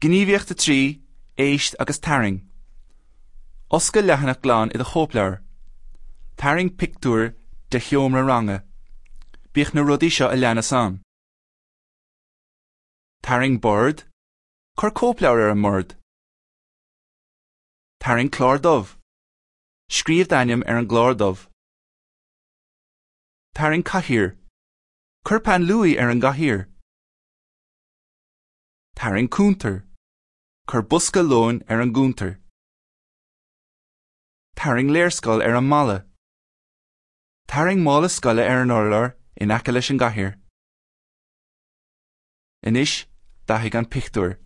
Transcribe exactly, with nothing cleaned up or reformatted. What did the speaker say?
Gníomhaíocht a trí, éist agus tarraing. Oscail leathanach glan i do chóipleabhar. Tarraing pictiúr de sheomra ranga. Bíodh na rudaí seo a leanas ann. Tarraing bord, cuir cóipleabhar ar an mbord. Tarraing clár dubh. Scríobh d'ainm ar an gclár dubh. Tarraing cathaoir. Cuir peann luaidhe ar an gcathaoir. Tarraing cuntar. Cuir bosca lóin ar an gcuntar. Tarraing léarscáil ar an mballa. Tarraing mála scoile ar an urlár in aice leis an gcathaoir. Anois, dathaigh an pictiúr.